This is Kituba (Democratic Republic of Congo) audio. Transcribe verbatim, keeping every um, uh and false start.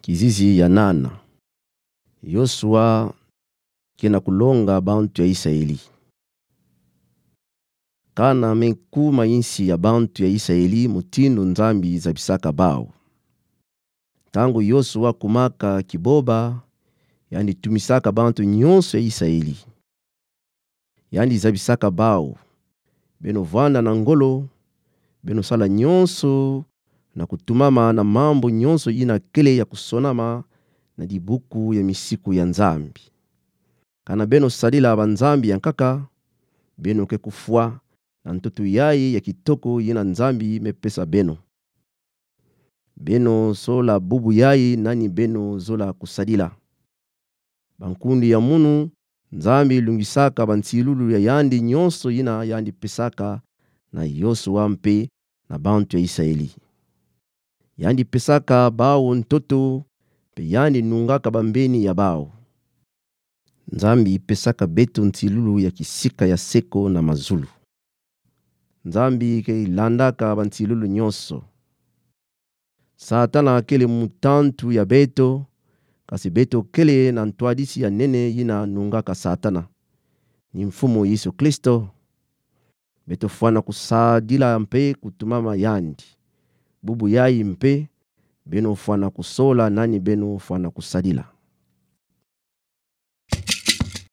Kizizi ya nana. Yosua ke na kulonga bantu ya Isaeli. Kana me ku mainsi ya bantu ya Isaeli mutindu Nzambi zabisaka bau. Ntangu Yosua kumaka kiboba, yandi tumisaka bantu nyonso ya Isaeli. Yandi zabisaka bau: Beno vwanda na ngolo, beno sala nyonso na kutumama na mambu nyonso yina kele ya kusonama na dibuku ya misiku ya Nzambi. Kana beno sadila banzambi ya nkaka, beno ke kufwa na ntoto yayi ya kitoko yina Nzambi mepesa beno. Beno sola bubu yayi nani beno zola kusadila. Bankundi ya munu, Nzambi lungisaka bantilulu ya yandi nyonso yina yandi pesaka na Yosua mpe na bantu ya Isaeli. Yandi pesaka bau ntoto, mpe yandi nungaka bambeni ya bau. Nzambi pesaka beto ntilulu ya kisika ya seko na mazulu. Nzambi ke landaka bantilulu nyonso. Satana kele mutantu ya beto, kasi beto kele na ntwadisi ya nene yina nungaka Satana, ni Mfumu Yesu Kristo. Beto fwana kusadila mpe kutumama yandi. Bubu yayi mpe, beno fwana kusola nani beno fwana kusadila.